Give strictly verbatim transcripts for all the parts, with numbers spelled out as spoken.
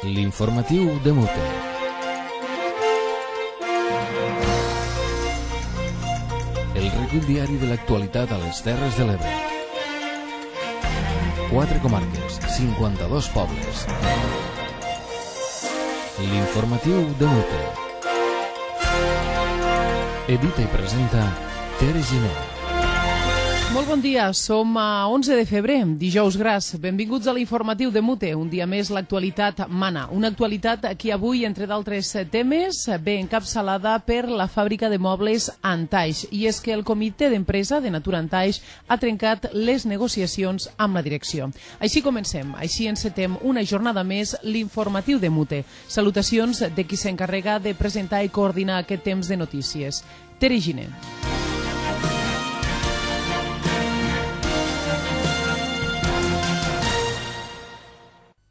L'informatiu de Mute. El recull diari de l'actualitat a les Terres de l'Ebre. Quatre comarques, cinquanta-dos pobles. L'informatiu de Mute. Edita i presenta Tere Giner. Molt bon dia, som a onze de febrer, dijous gras. Benvinguts a l'informatiu de Mute. Un dia més l'actualitat mana. Una actualitat que avui, entre d'altres temes, ve encapçalada per la fàbrica de mobles Antaix. I és que el comitè d'empresa de Natura Antaix ha trencat les negociacions amb la direcció. Així comencem, així encetem una jornada més l'informatiu de Mute. Salutacions de qui s'encarrega de presentar i coordinar aquest temps de notícies. Tere Giner.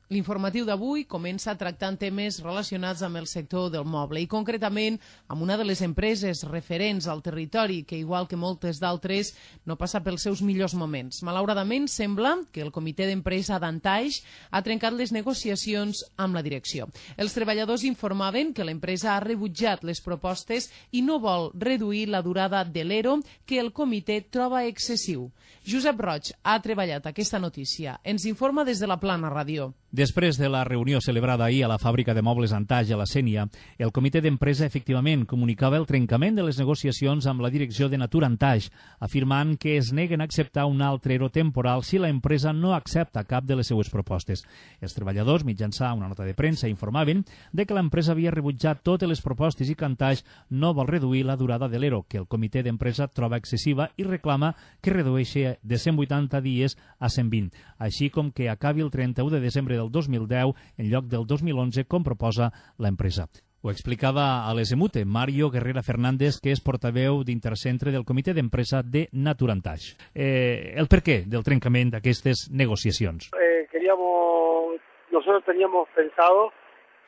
L'informatiu d'avui comença tractant temes relacionats amb el sector del moble i concretament amb una de les empreses referents al territori que, igual que moltes d'altres, no passa pels seus millors moments. Malauradament, sembla que el comitè d'empresa d'Antaix ha trencat les negociacions amb la direcció. Els treballadors informaven que l'empresa ha rebutjat les propostes i no vol reduir la durada de l'E R O que el comitè troba excessiu. Josep Roig ha treballat aquesta notícia. Ens informa des de la Plana Ràdio. Després de la reunió celebrada ahir a la fàbrica de mobles Antaix a la Sénia, el comitè d'empresa efectivament comunicava el trencament de les negociacions amb la direcció de Natura Antaix, afirmant que es neguen a acceptar un altre E R O temporal si la empresa no accepta cap de les seues propostes. Els treballadors, mitjançant una nota de premsa, informaven de que l'empresa havia rebutjat totes les propostes i que Antaix no vol reduir la durada de l'E R O, que el comitè d'empresa troba excessiva i reclama que redueixi de cent vuitanta dies a cent vint, així com que acabi el trenta-u de desembre del dos mil deu en lloc del dos mil onze, com proposa l'empresa. Ho explicava a l'E S M U T E Mario Guerrera Fernández, que és portaveu d'Intercentre del comitè d'empresa de Natura Antaix. Eh, el per què del trencament d'aquestes negociacions? Eh, queríamos, nosotros teníamos pensado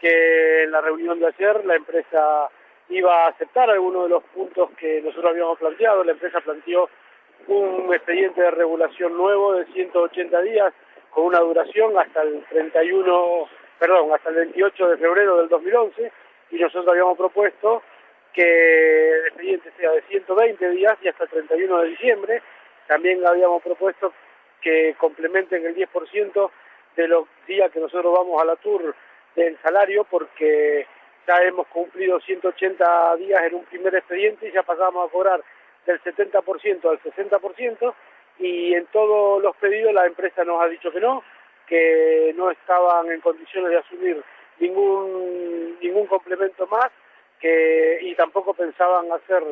que en la reunión de ayer la empresa iba a aceptar algunos de los puntos que nosotros habíamos planteado. La empresa planteó un expediente de regulación nuevo de ciento ochenta días con una duración hasta el treinta y uno, perdón, hasta el veintiocho de febrero del dos mil once, y nosotros habíamos propuesto que el expediente sea de ciento veinte días y hasta el treinta y uno de diciembre. También habíamos propuesto que complementen el diez por ciento de los días que nosotros vamos a la tour del salario, porque ya hemos cumplido ciento ochenta días en un primer expediente y ya pasamos a cobrar del setenta por ciento al sesenta por ciento, y en todos los pedidos la empresa nos ha dicho que no, que no estaban en condiciones de asumir ningún ningún complemento más, que y tampoco pensaban hacer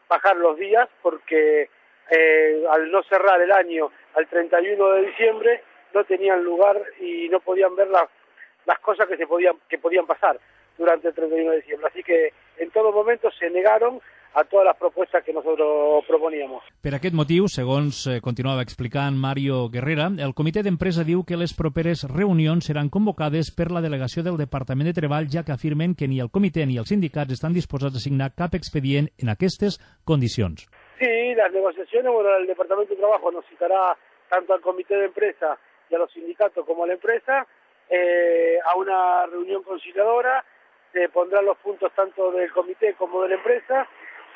bajar los días, porque eh, al no cerrar el año al treinta y uno de diciembre no tenían lugar y no podían ver la, las cosas que se podían que podían pasar durante el treinta y uno de diciembre. Así que en todo momento se negaron a todas les propostes que nosotros proponíamos. Per aquest motiu, segons eh, continuava explicant Mario Guerrera, el comitè d'empresa diu que les properes reunions seran convocades per la delegació del Departament de Treball, ja que afirmen que ni el comitè ni els sindicats estan disposats a signar cap expedient en aquestes condicions. Sí, las negociaciones, bueno, el Departamento de Trabajo nos citará tanto al comité de empresa y a los sindicatos como a la empresa eh, a una reunión conciliadora. Se pondrán los puntos tanto del comité como de la empresa.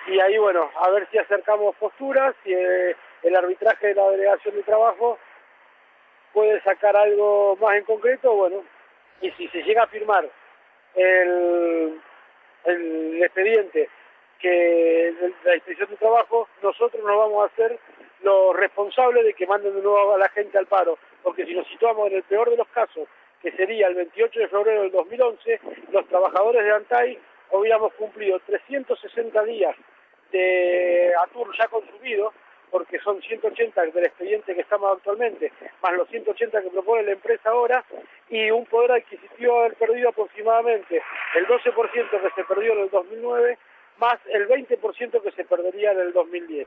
Y ahí, bueno, a ver si acercamos posturas, si eh, el arbitraje de la delegación de trabajo puede sacar algo más en concreto, bueno, y si se llega a firmar el, el expediente que de la inspección de trabajo, nosotros nos vamos a hacer los responsables de que manden de nuevo a la gente al paro, porque si nos situamos en el peor de los casos, que sería el veintiocho de febrero del dos mil once, los trabajadores de Antaix hubiéramos cumplido trescientos sesenta días de ATUR ya consumido, porque son ciento ochenta del expediente que estamos actualmente, más los ciento ochenta que propone la empresa ahora, y un poder adquisitivo haber perdido aproximadamente el doce por ciento que se perdió en el dos mil nueve, más el veinte por ciento que se perdería en el dos mil diez.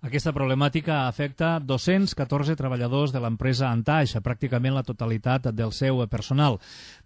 Aquesta problemàtica afecta dos-cents catorze treballadors de l'empresa Antaix, pràcticament la totalitat del seu personal.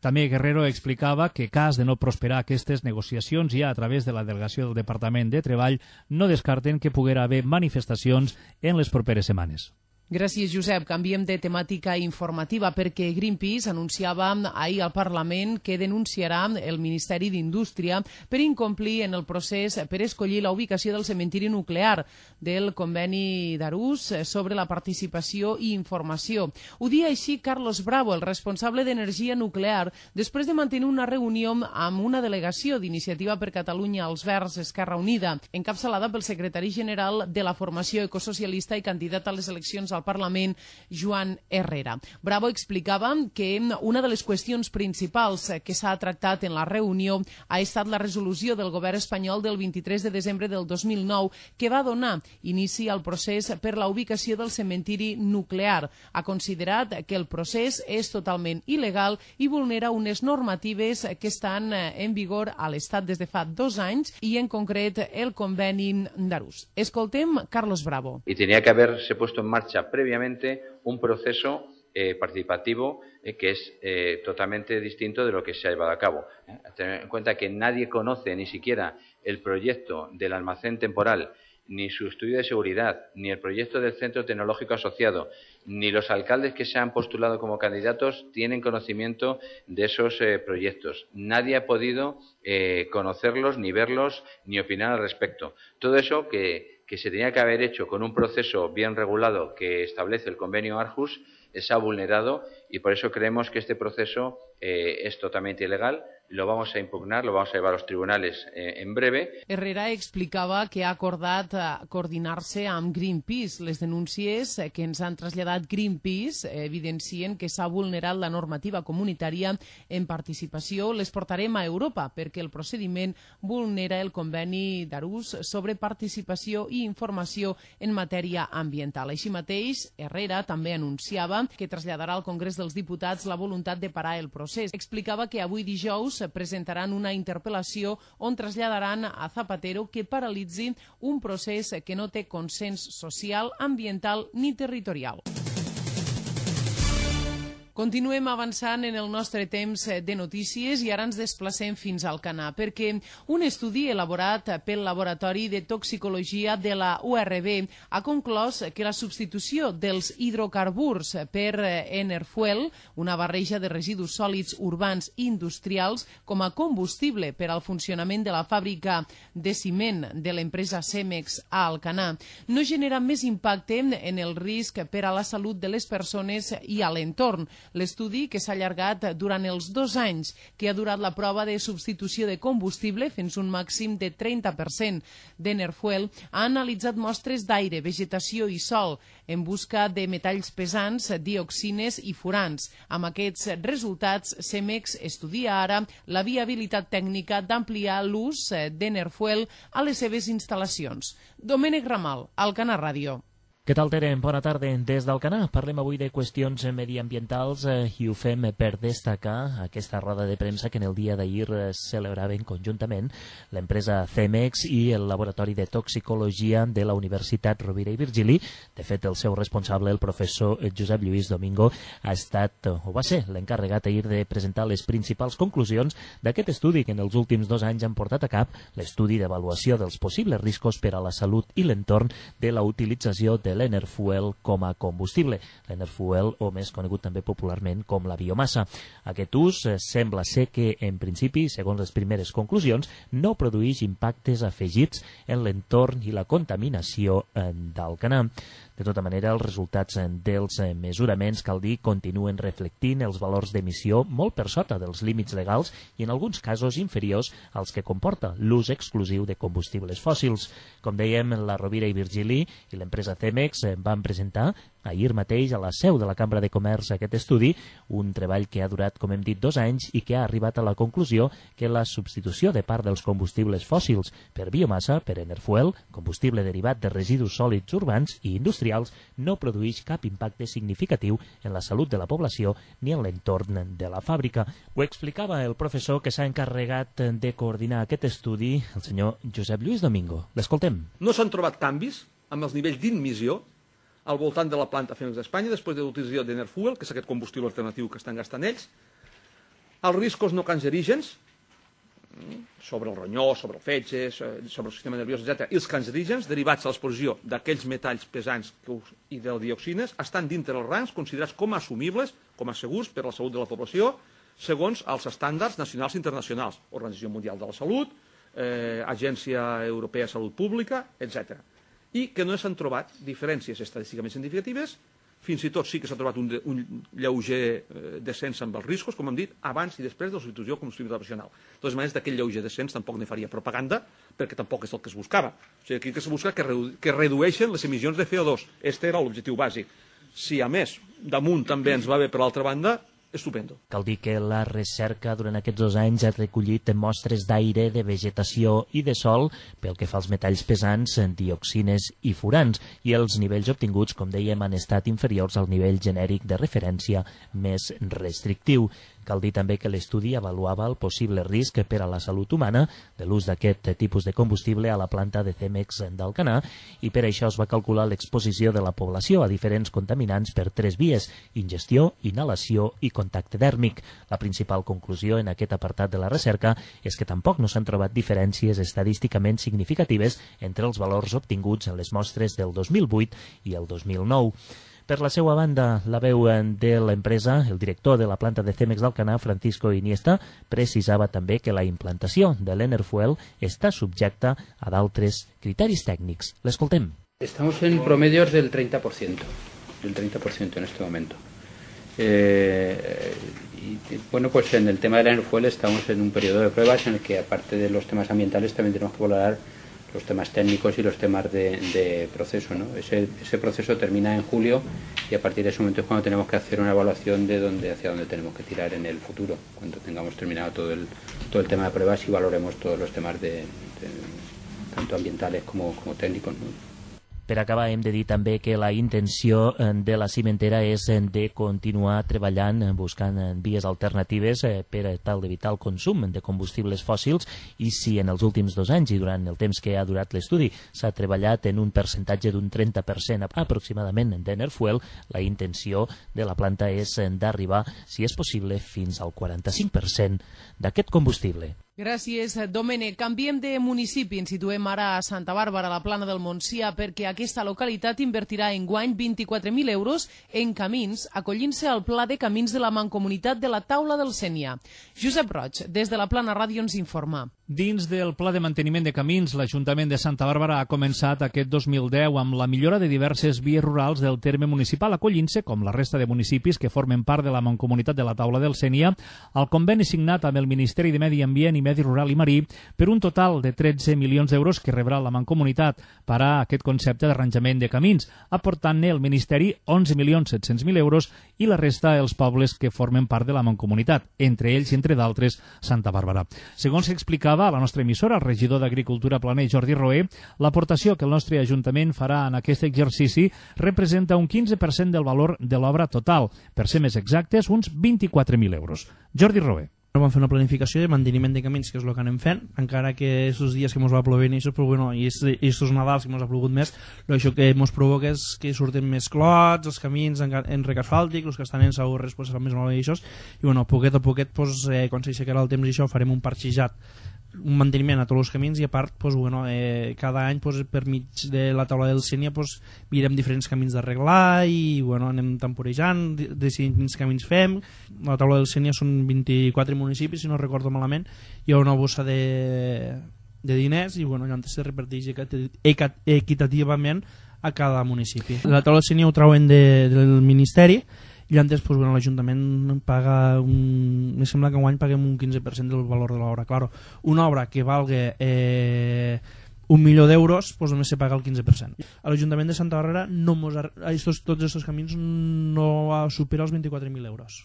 També Guerrero explicava que, cas de no prosperar aquestes negociacions, ja a través de la delegació del Departament de Treball, no descarten que poguera haver manifestacions en les properes setmanes. Gràcies, Josep. Canviem de temàtica informativa perquè Greenpeace anunciava ahir al Parlament que denunciarà el Ministeri d'Indústria per incomplir en el procés per escollir la ubicació del cementiri nuclear del conveni d'Arús sobre la participació i informació. Ho dia així Carlos Bravo, el responsable d'Energia Nuclear, després de mantenir una reunió amb una delegació d'Iniciativa per Catalunya als Verds Esquerra Unida, encapçalada pel secretari general de la formació ecosocialista i candidat a les eleccions al Parlament, Joan Herrera. Bravo explicava que una de les qüestions principals que s'ha tractat en la reunió ha estat la resolució del govern espanyol del vint-i-tres de desembre del dos mil nou que va donar inici al procés per la ubicació del cementiri nuclear. Ha considerat que el procés és totalment il·legal i vulnera unes normatives que estan en vigor a l'Estat des de fa dos anys i en concret el conveni d'Arús. Escoltem Carlos Bravo. Y tenía que haberse puesto en marcha previamente un proceso eh, participativo eh, que es eh, totalmente distinto de lo que se ha llevado a cabo. Eh, tener en cuenta que nadie conoce ni siquiera el proyecto del almacén temporal, ni su estudio de seguridad, ni el proyecto del centro tecnológico asociado, ni los alcaldes que se han postulado como candidatos tienen conocimiento de esos eh, proyectos. Nadie ha podido eh, conocerlos, ni verlos, ni opinar al respecto. Todo eso que que se tenía que haber hecho con un proceso bien regulado que establece el convenio Aarhus, se ha vulnerado y por eso creemos que este proceso eh, es totalmente ilegal. Lo vamos a impugnar, lo vamos a llevar a los tribunales eh, en breve. Herrera explicava que ha acordat eh, coordinar-se amb Greenpeace. Les denúncies eh, que ens han traslladat Greenpeace eh, evidencien que s'ha vulnerat la normativa comunitària en participació. Les portarem a Europa perquè el procediment vulnera el conveni d'Arús sobre participació i informació en matèria ambiental. Així mateix, Herrera també anunciava que traslladarà al Congrés dels Diputats la voluntat de parar el procés. Explicava que avui dijous presentaran una interpel·lació on traslladaran a Zapatero que paralitzi un procés que no té consens social, ambiental ni territorial. Continuem avançant en el nostre temps de notícies i ara ens desplacem fins al Canà, perquè un estudi elaborat pel Laboratori de Toxicologia de la U R B ha conclòs que la substitució dels hidrocarburs per Enerfuel, una barreja de residus sòlids urbans i industrials, com a combustible per al funcionament de la fàbrica de ciment de l'empresa Cemex a Alcanar, no genera més impacte en el risc per a la salut de les persones i a l'entorn. L'estudi, que s'ha allargat durant els dos anys que ha durat la prova de substitució de combustible fins un màxim de trenta per cent d'Enerfuel, ha analitzat mostres d'aire, vegetació i sòl en busca de metalls pesants, dioxines i furans. Amb aquests resultats, Cemex estudia ara la viabilitat tècnica d'ampliar l'ús d'Enerfuel a les seves instal·lacions. Domènec Ramal, Alcanar Ràdio. Què tal, Tere? Bona tarda. Des d'Alcanar parlem avui de qüestions mediambientals eh, i ho fem per destacar aquesta roda de premsa que en el dia d'ahir eh, celebraven conjuntament l'empresa Cemex i el Laboratori de Toxicologia de la Universitat Rovira i Virgili. De fet, el seu responsable, el professor Josep Lluís Domingo, ha estat, o va ser, l'encarregat ahir de presentar les principals conclusions d'aquest estudi que en els últims dos anys han portat a cap l'estudi d'avaluació dels possibles riscos per a la salut i l'entorn de la utilització de l'Enerfuel com a combustible. L'Enerfuel, o més conegut també popularment com la biomassa. Aquest ús eh, sembla ser que, en principi, segons les primeres conclusions, no produeix impactes afegits en l'entorn i la contaminació eh, d'Alcanar. De tota manera, els resultats dels mesuraments, cal dir, continuen reflectint els valors d'emissió molt per sota dels límits legals i en alguns casos inferiors als que comporta l'ús exclusiu de combustibles fòssils. Com dèiem, la Rovira i Virgili i l'empresa Cemex van presentar ahir mateix a la seu de la Cambra de Comerç aquest estudi, un treball que ha durat, com hem dit, dos anys i que ha arribat a la conclusió que la substitució de part dels combustibles fòssils per biomassa, per Enerfuel, combustible derivat de residus sòlids urbans i industrials, no produeix cap impacte significatiu en la salut de la població ni en l'entorn de la fàbrica. Ho explicava el professor que s'ha encarregat de coordinar aquest estudi, el senyor Josep Lluís Domingo. L'escoltem. No s'han trobat canvis amb els nivells d'immissió al voltant de la planta Cemex d'Espanya després de l'utilització d'Enerfuel, que és aquest combustible alternatiu que estan gastant ells. Els riscos no cancerígens, sobre el ronyó, sobre el fetge, sobre el sistema nerviós, etcètera. I els cancerígens derivats de l'exposició d'aquells metalls pesants i de dioxines estan dintre els rangs considerats com a assumibles, com a segurs per a la salut de la població, segons els estàndards nacionals i internacionals, Organització Mundial de la Salut, eh, Agència Europea de Salut Pública, etcètera. I que no s'han trobat diferències estadísticament significatives, fins i tot sí que s'ha trobat un, un lleuger eh, descens amb els riscos, com hem dit, abans i després de la substitució de combustible tradicional. De totes maneres, d'aquell lleuger descens tampoc ne faria propaganda, perquè tampoc és el que es buscava. O sigui, aquí que se busca que, redu que redueixen les emissions de C O dos. Este era l'objectiu bàsic. Si, a més, damunt també ens va bé per l'altra banda, estupendo. Cal dir que la recerca durant aquests dos anys ha recollit mostres d'aire, de vegetació i de sol pel que fa als metalls pesants, dioxines i furans, i els nivells obtinguts, com dèiem, han estat inferiors al nivell genèric de referència més restrictiu. Cal dir també que l'estudi avaluava el possible risc per a la salut humana de l'ús d'aquest tipus de combustible a la planta de Cemex d'Alcanar, i per això es va calcular l'exposició de la població a diferents contaminants per tres vies: ingestió, inhalació i contacte dèrmic. La principal conclusió en aquest apartat de la recerca és que tampoc no s'han trobat diferències estadísticament significatives entre els valors obtinguts en les mostres del dos mil vuit i el dos mil nou. Per la seva banda, la veu de l'empresa, el director de la planta de Cemex d'Alcanar, Francisco Iniesta, precisava també que la implantació de l'Enerfuel està subjecta a d'altres criteris tècnics. L'escoltem. Estamos en promedios del treinta por ciento, del treinta por ciento en este momento. Eh, y, bueno, pues en el tema del Enerfuel estamos en un periodo de pruebas en el que, aparte de los temas ambientales, también tenemos que valorar los temas técnicos y los temas de, de proceso, ¿no? Ese, ese proceso termina en julio y a partir de ese momento es cuando tenemos que hacer una evaluación de dónde, hacia dónde tenemos que tirar en el futuro, cuando tengamos terminado todo el, todo el tema de pruebas y valoremos todos los temas de, de, tanto ambientales como, como técnicos, ¿no? Per acabar, hem de dir també que la intenció de la cimentera és de continuar treballant, buscant vies alternatives per tal d'evitar el consum de combustibles fòssils, i si en els últims dos anys i durant el temps que ha durat l'estudi s'ha treballat en un percentatge d'un trenta per cent aproximadament d'Enerfuel, la intenció de la planta és d'arribar, si és possible, fins al quaranta-cinc per cent d'aquest combustible. Gràcies, Domènec. Canviem de municipi. Ens situem ara a Santa Bàrbara, a la Plana del Montsià, perquè aquesta localitat invertirà enguany vint-i-quatre mil euros en camins, acollint-se al Pla de Camins de la Mancomunitat de la Taula del Sénia. Josep Roig, des de la Plana Ràdio, ens informa. Dins del Pla de Manteniment de Camins, l'Ajuntament de Santa Bàrbara ha començat aquest dos mil deu amb la millora de diverses vies rurals del terme municipal, acollint-se, com la resta de municipis que formen part de la Mancomunitat de la Taula del Sénia, al conveni signat amb el Ministeri de Medi Ambient i Medi Rural i Marí per un total de tretze milions d'euros que rebrà la Mancomunitat per a aquest concepte d'arranjament de camins, aportant-ne el Ministeri onze milions set-cents mil euros i la resta els pobles que formen part de la Mancomunitat, entre ells i entre d'altres Santa Bàrbara. Segons s'explicava a la nostra emissora, el regidor d'Agricultura Planer, Jordi Roé, l'aportació que el nostre Ajuntament farà en aquest exercici representa un quinze per cent del valor de l'obra total, per ser més exactes, uns vint-i-quatre mil euros. Jordi Roé. Vam fer una planificació de manteniment de camins, que és el que anem fent, encara que aquests dies que ens va plover i això, però bueno, i aquests Nadals que ens ha plogut més, això que ens provoca és que surten més clots, els camins en, en rec asfàltic, els que estan en saurres pues, seran més malament i això, i bueno, poquet a poquet, pues, eh, quan s'aixecarà el temps i això, farem un parxejat, un manteniment a tots els camins, i a part pues, bueno, eh, cada any pues, per mig de la taula del Sénia pues, mirem diferents camins d'arreglar i bueno, anem temporejant, decidint quins camins fem. La taula del Sénia són vint-i-quatre municipis, si no recordo malament, hi ha una bossa de, de diners i bueno, allò se reparteix equitativament a cada municipi. La taula del Sénia ho trauen de, del Ministeri, i antes pues, bueno, l'Ajuntament paga un... me sembla que enguany paguem un quinze per cent del valor de l'obra. Claro, una obra que valga eh, un milió d'euros pues, només se paga el quinze per cent. A l'Ajuntament de Santa Bàrbara no mos, estos, tots aquests camins no supera els vint-i-quatre mil euros.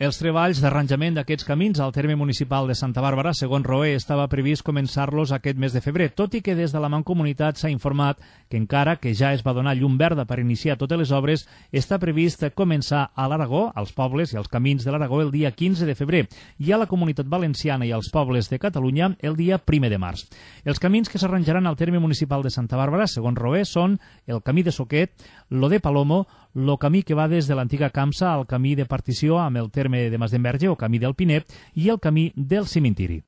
Els treballs d'arranjament d'aquests camins al terme municipal de Santa Bàrbara, segons Roé, estava previst començar-los aquest mes de febrer, tot i que des de la Mancomunitat s'ha informat que encara que ja es va donar llum verda per iniciar totes les obres, està previst començar a l'Aragó, als pobles i als camins de l'Aragó el dia quinze de febrer i a la Comunitat Valenciana i als pobles de Catalunya el dia primer de març. Els camins que s'arranjaran al terme municipal de Santa Bàrbara, segons Roé, són el camí de Soquet, lo de Palomo, el camí que va des de l'antiga Camsa al camí de partició amb el terme de Masdenverge o camí del Pinet i el camí del Cimentiri.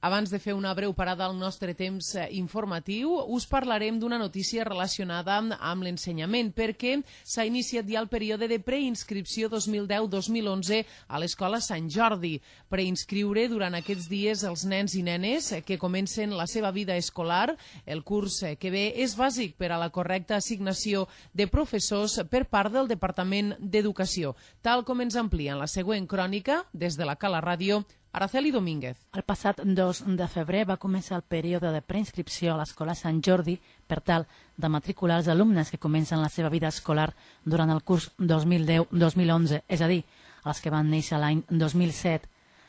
Abans de fer una breu parada al nostre temps informatiu, us parlarem d'una notícia relacionada amb l'ensenyament, perquè s'ha iniciat ja el període de preinscripció dos mil deu dos mil onze a l'Escola Sant Jordi. Preinscriure durant aquests dies els nens i nenes que comencen la seva vida escolar. El curs que ve és bàsic per a la correcta assignació de professors per part del Departament d'Educació, tal com ens amplia en la següent crònica des de la Cala Ràdio, Araceli Domínguez. El passat dos de febrer va començar el període de preinscripció a l'Escola Sant Jordi per tal de matricular els alumnes que comencen la seva vida escolar durant el curs dos mil deu dos mil onze, és a dir, els que van néixer l'any dos mil set.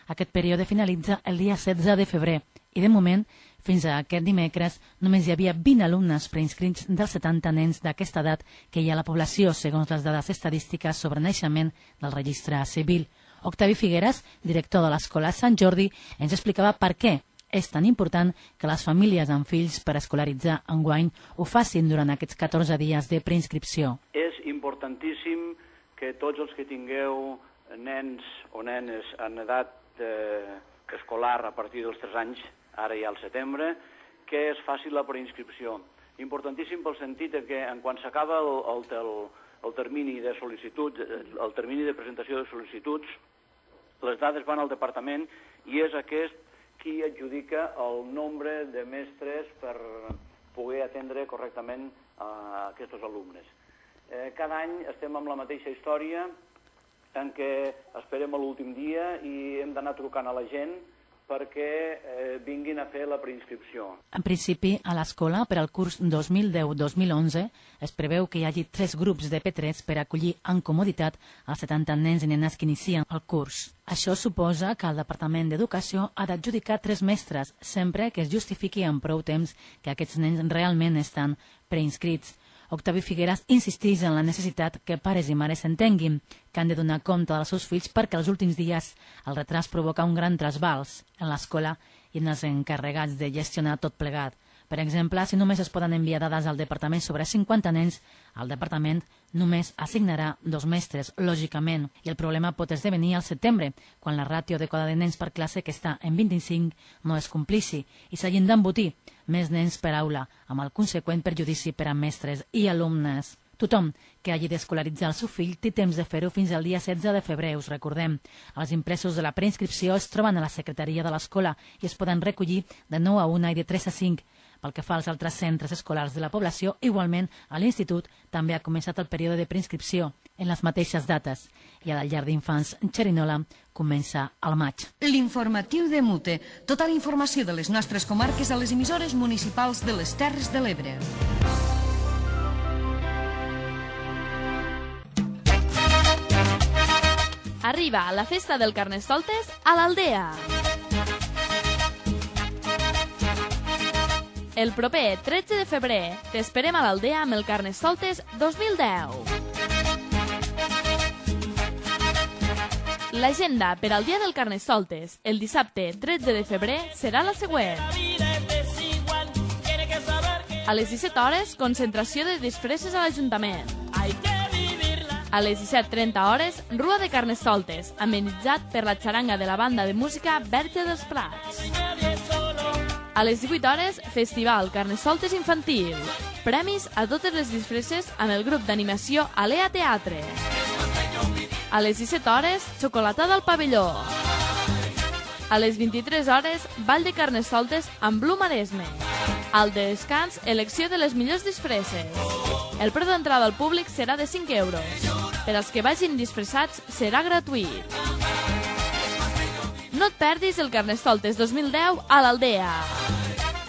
Aquest període finalitza el dia setze de febrer i, de moment, fins a aquest dimecres, només hi havia vint alumnes preinscrits dels setanta nens d'aquesta edat que hi ha a la població, segons les dades estadístiques sobre naixement del registre civil. Octavi Figueras, director de l'Escola Sant Jordi, ens explicava per què és tan important que les famílies amb fills per escolaritzar enguany ho facin durant aquests catorze dies de preinscripció. És importantíssim que tots els que tingueu nens o nenes en edat eh, escolar a partir dels tres anys, ara ja al setembre, que es faci la preinscripció. Importantíssim pel sentit que en quan s'acaba el, el, el, el termini de sol·licitud, el termini de presentació de sol·licituds, les dades van al departament i és aquest qui adjudica el nombre de mestres per poder atendre correctament a aquests alumnes. Eh, cada any estem amb la mateixa història en què esperem a l'últim dia i hem d'anar trucant a la gent perquè eh, vinguin a fer la preinscripció. En principi, a l'escola, per al curs dos mil deu dos mil onze, es preveu que hi hagi tres grups de P tres per acollir en comoditat els setanta nens i nenes que inicien el curs. Això suposa que el Departament d'Educació ha d'adjudicar tres mestres, sempre que es justifiqui amb prou temps que aquests nens realment estan preinscrits. Octavi Figueras insisteix en la necessitat que pares i mares s'entenguin, que han de donar compte dels seus fills perquè els últims dies el retras provoca un gran trasbals en l'escola i en els encarregats de gestionar tot plegat. Per exemple, si només es poden enviar dades al departament sobre cinquanta nens, el departament només assignarà dos mestres, lògicament, i el problema pot esdevenir al setembre, quan la ràtio adequada de nens per classe, que està en vint-i-cinc, no es complici, i s'hagin d'embotir més nens per aula, amb el conseqüent perjudici per a mestres i alumnes. Tothom que hagi d'escolaritzar el seu fill té temps de fer-ho fins al dia setze de febrer, us recordem. Els impresos de la preinscripció es troben a la secretaria de l'escola i es poden recollir de nou a una i de tres a cinc. Pel que fa als altres centres escolars de la població, igualment, a l'institut també ha començat el període de preinscripció en les mateixes dates. I a la llar d'infants Xerinola comença al maig. L'informatiu de Mute. Tota la informació de les nostres comarques a les emissores municipals de les Terres de l'Ebre. Arriba la festa del Carnestoltes a l'Aldea. El proper tretze de febrer t'esperem a l'Aldea amb el Carnestoltes dos mil deu. L'agenda per al dia del Carnestoltes, el dissabte tretze de febrer, serà la següent. A les disset hores, concentració de disfresses a l'Ajuntament. A les disset trenta hores, Rua de Carnestoltes, amenitzat per la xaranga de la banda de música Verge dels Prats. A les divuit hores, Festival Carnestoltes Infantil. Premis a totes les disfresses amb el grup d'animació Alea Teatre. A les disset hores, xocolatada al pavelló. A les vint-i-tres hores, Ball de Carnestoltes amb Blu Maresme. Al descans, elecció de les millors disfresses. El preu d'entrada al públic serà de cinc euros. Per als que vagin disfressats, serà gratuït. No et perdis el Carnestoltes dos mil deu a l'Aldea.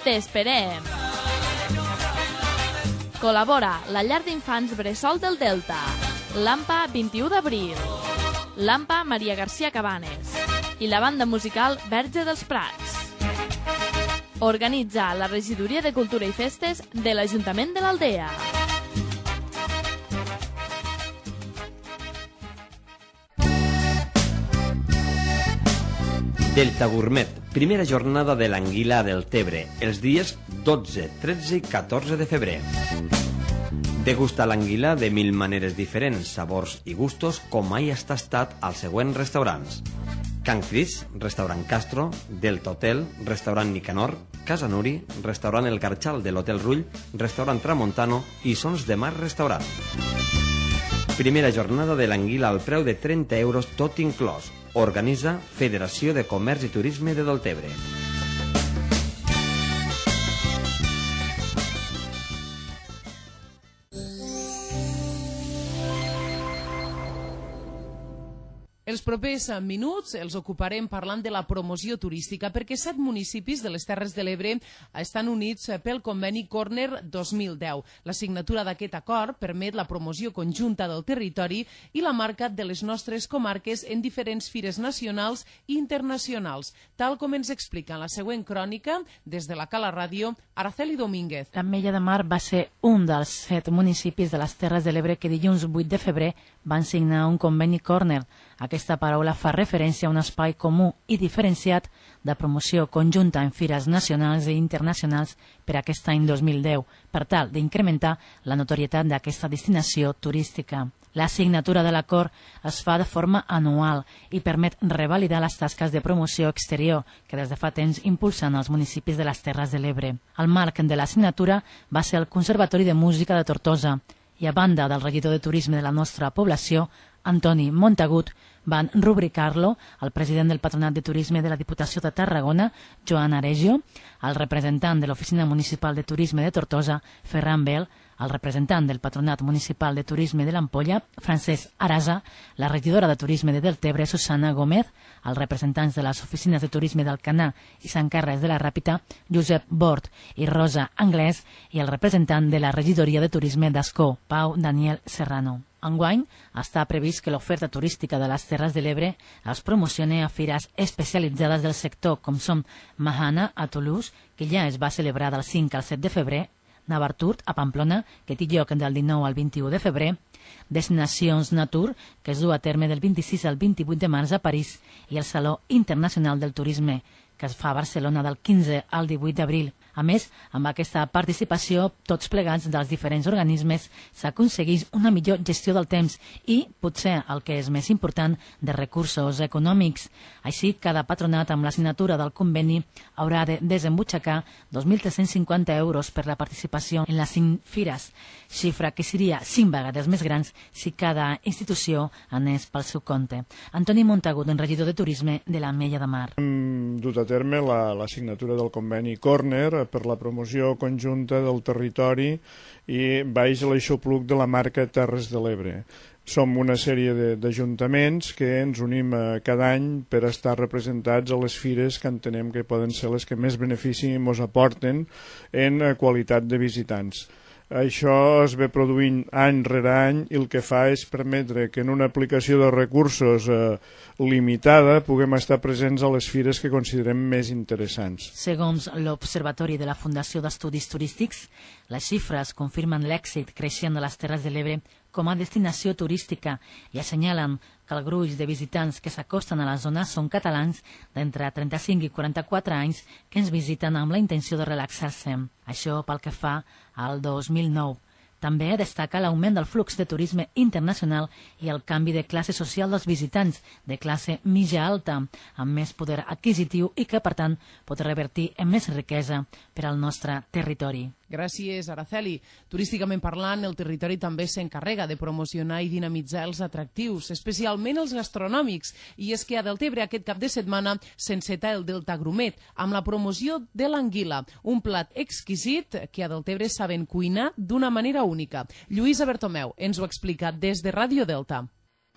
T'esperem. Col·labora la llar d'infants Bressol del Delta, l'AMPA vint-i-u d'abril, l'AMPA Maria García Cabanes i la banda musical Verge dels Prats. Organitza la Regidoria de Cultura i Festes de l'Ajuntament de l'Aldea. Delta Gourmet, primera jornada de l'anguila del Tebre, els dies dotze, tretze i catorze de febrer. Degusta l'anguila de mil maneres diferents, sabors i gustos com mai has tastat als següents restaurants. Can Cris, restaurant Castro, Delta Hotel, restaurant Nicanor, Casa Nuri, restaurant El Garchal de l'Hotel Rull, restaurant Tramontano i Sons de Mar Restaurant. Primera jornada de l'anguila al preu de trenta euros tot inclòs. Organitza Federació de Comerç i Turisme de Deltebre. Els propers minuts els ocuparem parlant de la promoció turística perquè set municipis de les Terres de l'Ebre estan units pel conveni Corner dos mil deu. La signatura d'aquest acord permet la promoció conjunta del territori i la marca de les nostres comarques en diferents fires nacionals i internacionals, tal com ens explica en la següent crònica des de la Cala Ràdio, Araceli Domínguez. L'Ametlla de Mar va ser un dels set municipis de les Terres de l'Ebre que dilluns vuit de febrer van signar un conveni Corner. Aquesta paraula fa referència a un espai comú i diferenciat de promoció conjunta en fires nacionals i internacionals per aquest any dos mil deu, per tal d'incrementar la notorietat d'aquesta destinació turística. La signatura de l'acord es fa de forma anual i permet revalidar les tasques de promoció exterior que des de fa temps impulsen els municipis de les Terres de l'Ebre. El marc de la signatura va ser el Conservatori de Música de Tortosa i, a banda del regidor de Turisme de la nostra població, Antoni Montagut, van rubricar-lo el president del Patronat de Turisme de la Diputació de Tarragona, Joan Aregio, el representant de l'Oficina Municipal de Turisme de Tortosa, Ferran Bel, el representant del Patronat Municipal de Turisme de l'Ampolla, Francesc Arasa, la regidora de Turisme de Deltebre, Susana Gómez, els representants de les oficines de turisme d'Alcanar i Sant Carles de la Ràpita, Josep Bort i Rosa Anglès, i el representant de la regidoria de turisme d'Ascó, Pau Daniel Serrano. Enguany està previst que l'oferta turística de les Terres de l'Ebre es promocioni a fires especialitzades del sector, com són Mahana a Toulouse, que ja es va celebrar del cinc al set de febrer, Navarturt a Pamplona, que té lloc del dinou al vint-i-u de febrer, Destinacions Natur, que es du a terme del vint-i-sis al vint-i-vuit de març a París, i el Saló Internacional del Turisme, que es fa a Barcelona del quinze al divuit d'abril. A més, amb aquesta participació, tots plegats dels diferents organismes, s'aconsegueix una millor gestió del temps i, potser el que és més important, de recursos econòmics. Així, cada patronat amb la signatura del conveni haurà de desembutxacar dos mil tres-cents cinquanta euros per la participació en les cinc fires, xifra que seria cinc vegades més grans si cada institució anés pel seu compte. Antoni Montagut, regidor de Turisme de l'Ametlla de Mar. Hem dut a terme la, la signatura del conveni Corner per la promoció conjunta del territori i baix l'aixopluc de la marca Terres de l'Ebre. Som una sèrie d'ajuntaments que ens unim cada any per estar representats a les fires que entenem que poden ser les que més benefici ens aporten en qualitat de visitants. Això es ve produint any rere any i el que fa és permetre que en una aplicació de recursos eh, limitada puguem estar presents a les fires que considerem més interessants. Segons l'Observatori de la Fundació d'Estudis Turístics, les xifres confirmen l'èxit creixent de les Terres de l'Ebre com a destinació turística i assenyalen que el gruix de visitants que s'acosten a la zona són catalans d'entre trenta-cinc i quaranta-quatre anys que ens visiten amb la intenció de relaxar-se. Això pel que fa al dos mil nou. També destaca l'augment del flux de turisme internacional i el canvi de classe social dels visitants, de classe mitja-alta, amb més poder adquisitiu i que, per tant, pot revertir en més riquesa per al nostre territori. Gràcies, Araceli. Turísticament parlant, el territori també s'encarrega de promocionar i dinamitzar els atractius, especialment els gastronòmics. I és que a Deltebre aquest cap de setmana s'enceta el Delta Grumet, amb la promoció de l'anguila, un plat exquisit que a Deltebre saben cuinar d'una manera única. Lluïsa Bertomeu ens ho explica des de Ràdio Delta.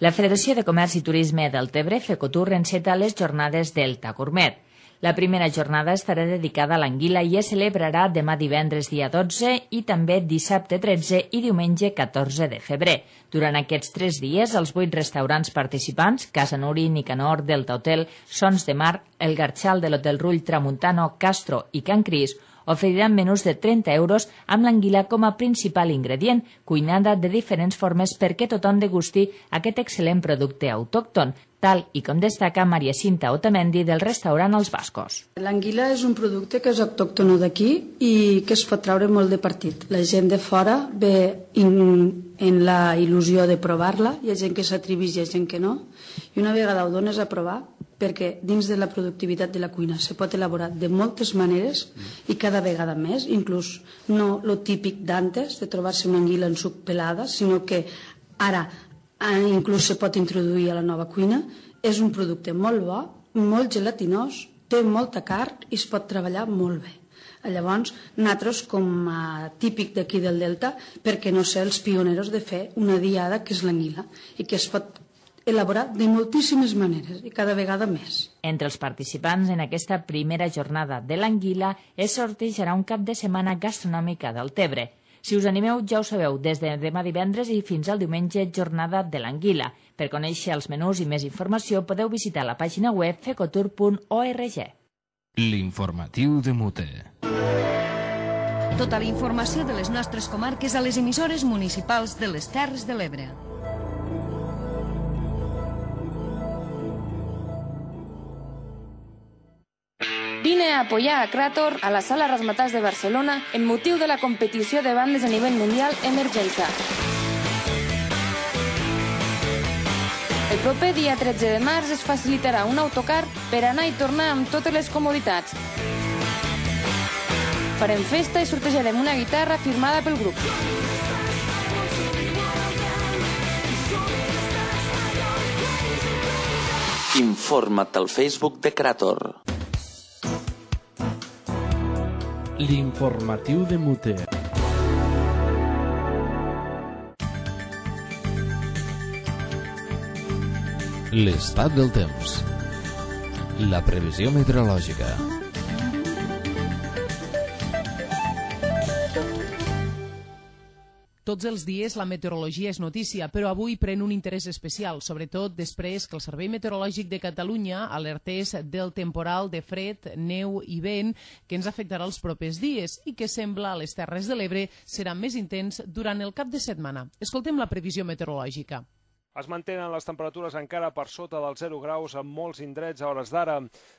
La Federació de Comerç i Turisme Deltebre, FECOTUR, enceta les jornades Delta Gourmet. La primera jornada estarà dedicada a l'anguila i es celebrarà demà divendres dia dotze i també dissabte tretze i diumenge catorze de febrer. Durant aquests tres dies, els vuit restaurants participants, Casa Nuri, Nicanor, Delta Hotel, Sons de Mar, El Garchal de l'Hotel Rull, Tramuntano, Castro i Can Cris, oferiran menús de trenta euros amb l'anguila com a principal ingredient, cuinada de diferents formes perquè tothom degusti aquest excel·lent producte autòcton, tal i com destaca Maria Cinta Otamendi del restaurant Els Bascos. L'anguila és un producte que és autòcton d'aquí i que es pot treure molt de partit. La gent de fora ve in, en la il·lusió de provar-la, hi ha gent que s'atreveix i hi ha gent que no, i una vegada ho dones a provar, perquè dins de la productivitat de la cuina se pot elaborar de moltes maneres i cada vegada més, inclús no lo típic d'antes, de trobar-se una anguila en suc pelada, sinó que ara inclús se pot introduir a la nova cuina. És un producte molt bo, molt gelatinós, té molta carn i es pot treballar molt bé. Llavors, nosaltres, com a típic d'aquí del Delta, per què no ser els pioneros de fer una diada que és l'anguila i que es pot elaborar de moltíssimes maneres i cada vegada més. Entre els participants en aquesta primera jornada de l'anguila es sortejarà un cap de setmana gastronòmica del Tebre. Si us animeu, ja ho sabeu, des de demà divendres i fins al diumenge, jornada de l'anguila. Per conèixer els menús i més informació podeu visitar la pàgina web fecotur punt org. L'informatiu de Mute. Tota la informació de les nostres comarques a les emissores municipals de les Terres de l'Ebre. Vine a apoyar a Krator a la Sala Razzmatazz de Barcelona en motiu de la competició de bandes a nivell mundial Emergenza. El proper dia tretze de març es facilitarà un autocar per anar i tornar amb totes les comoditats. Farem festa i sortejarem una guitarra firmada pel grup. Informa't al Facebook de Krator. L'informatiu de Mute. L'estat del temps. La previsió meteorològica. Tots els dies la meteorologia és notícia, però avui pren un interès especial, sobretot després que el Servei Meteorològic de Catalunya alertés del temporal de fred, neu i vent que ens afectarà els propers dies i que sembla a les Terres de l'Ebre serà més intens durant el cap de setmana. Escoltem la previsió meteorològica. Es mantenen les temperatures encara per sota dels zero graus en molts indrets a hores d'ara.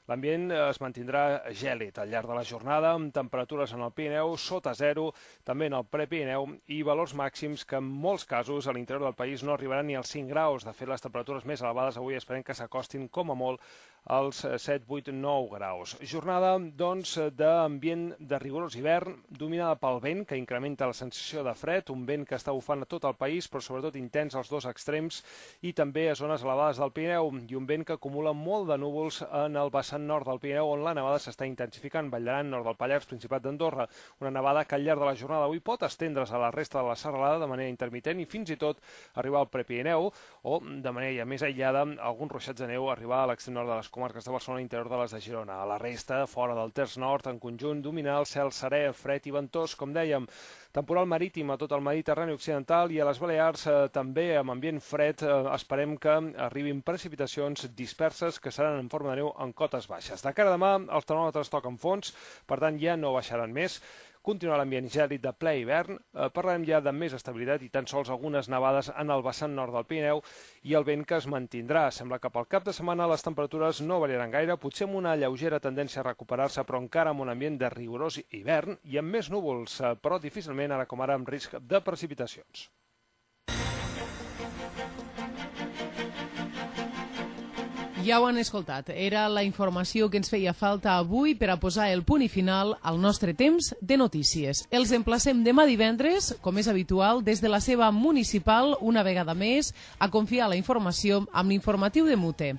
L'ambient es mantindrà gèlid al llarg de la jornada, amb temperatures en el Pirineu sota zero, també en el Prepirineu, i valors màxims que en molts casos a l'interior del país no arribaran ni als cinc graus. De fet, les temperatures més elevades avui esperem que s'acostin com a molt als set, vuit, nou graus. Jornada, doncs, d'ambient de rigorós hivern, dominada pel vent, que incrementa la sensació de fred, un vent que està bufant a tot el país, però sobretot intens als dos extrems, i també a zones elevades del Pirineu, i un vent que acumula molt de núvols en el vessant nord del Pirineu, on la nevada s'està intensificant, Vall d'Aran, nord del Pallars, Principat d'Andorra. Una nevada que al llarg de la jornada avui pot estendre's a la resta de la serralada de manera intermitent i fins i tot arribar al Prepirineu, o de manera ja més aïllada, alguns ruixats de neu arribar a l'extrem nord de les comarques de Barcelona, interior de les de Girona. A la resta, fora del terç nord, en conjunt, dominar el cel serè, fred i ventós, com dèiem. Temporal marítim a tot el Mediterrani occidental i a les Balears eh, també amb ambient fred. Eh, esperem que arribin precipitacions disperses que seran en forma de neu en cotes baixes. De cara a demà, els termòmetres toquen fons, per tant ja no baixaran més. Continuarà l'ambient gèlid de ple hivern, eh, parlarem ja de més estabilitat i tan sols algunes nevades en el vessant nord del Pirineu i el vent que es mantindrà. Sembla que pel cap de setmana les temperatures no variaran gaire, potser amb una lleugera tendència a recuperar-se, però encara amb un ambient de rigorós hivern i amb més núvols, eh, però difícilment ara com ara amb risc de precipitacions. Ja ho han escoltat, era la informació que ens feia falta avui per a posar el punt i final al nostre temps de notícies. Els emplacem demà divendres, com és habitual, des de la seva municipal, una vegada més, a confiar la informació amb l'informatiu de Mute.